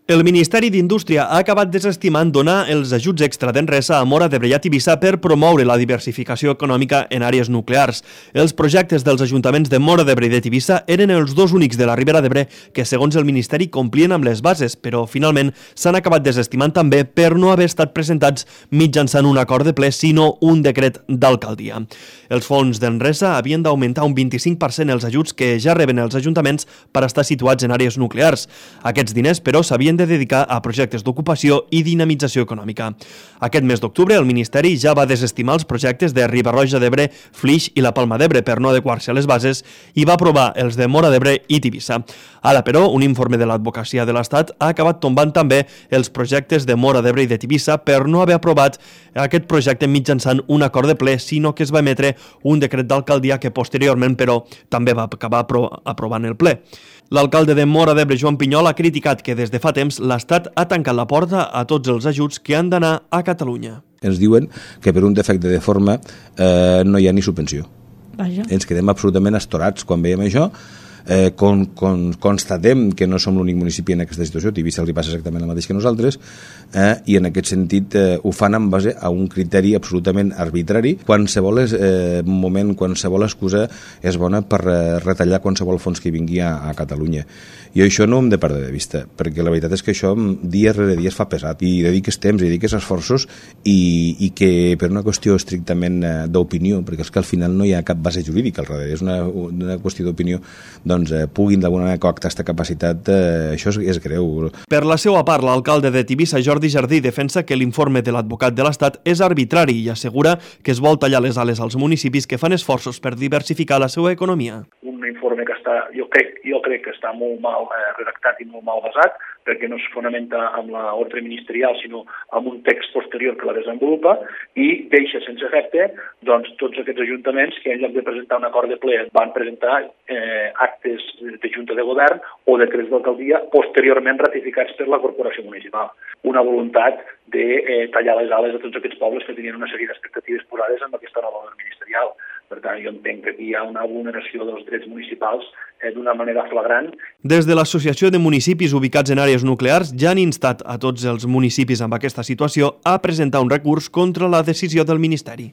El Ministeri d'Indústria ha acabat desestimant donar els ajuts extra d'Enresa a Móra d'Ebre i a Tivissa per promoure la diversificació econòmica en àrees nuclears. Els projectes dels ajuntaments de Móra d'Ebre i de Tivissa eren els dos únics de la Ribera d'Ebre que, segons el Ministeri, complien amb les bases, però finalment s'han acabat desestimant també per no haver estat presentats mitjançant un acord de ple, sinó un decret d'alcaldia. Els fons d'Enresa havien d'augmentar un 25% els ajuts que ja reben els ajuntaments per estar situats en àrees nuclears. Aquests diners, però, s'havien de dedicar a projectes d'ocupació i dinamització econòmica. Aquest mes d'octubre, el Ministeri ja va desestimar els projectes de Riba-roja d'Ebre, Flix i la Palma d'Ebre per no adequar-se a les bases i va aprovar els de Móra d'Ebre i Tivissa. Ara, però, un informe de l'Advocacia de l'Estat ha acabat tombant també els projectes de Móra d'Ebre i de Tivissa per no haver aprovat aquest projecte mitjançant un acord de ple, sinó que es va emetre un decret d'alcaldia que posteriorment, però, també va acabar aprovant el ple. L'alcalde de Móra d'Ebre, Joan Pinyol, ha criticat que des de fa temps l'Estat ha tancat la porta a tots els ajuts que han d'anar a Catalunya. Ens diuen que per un defecte de forma no hi ha ni subvenció. Vaja. Ens quedem absolutament astorats quan veiem això. Constatem que no som l'únic municipi en aquesta situació, Tivissa li passa exactament el mateix que nosaltres, i en aquest sentit ho fan en base a un criteri absolutament arbitrari. Qualsevol moment, qualsevol excusa és bona per retallar qualsevol fons que vingui a Catalunya. I això no ho hem de perdre de vista, perquè la veritat és que això dia rere dia es fa pesat, i dediques temps, i dediques esforços, i que per una qüestió estrictament d'opinió, perquè és que al final no hi ha cap base jurídica al darrere, és una qüestió d'opinió, doncs puguin d'alguna manera coactar aquesta capacitat, això és greu. Per la seva part, l'alcalde de Tivissa, Jordi Jardí, defensa que l'informe de l'advocat de l'Estat és arbitrari i assegura que es vol tallar les ales als municipis que fan esforços per diversificar la seva economia. Un informe que jo crec que està molt mal redactat i molt mal basat, perquè no es fonamenta amb l'ordre ministerial, sinó amb un text posterior que la desenvolupa, i deixa sense efecte doncs, tots aquests ajuntaments que en lloc de presentar un acord de ple van presentar actes de Junta de Govern o decrets d'alcaldia posteriorment ratificats per la Corporació Municipal. Una voluntat de tallar les ales a tots aquests pobles que tenien una sèrie d'expectatives posades amb aquesta nova ordre ministerial. Per tant, jo entenc que aquí hi ha una vulneració dels drets municipals d'una manera flagrant. Des de l'Associació de Municipis ubicats en àrees nuclears ja han instat a tots els municipis amb aquesta situació a presentar un recurs contra la decisió del Ministeri.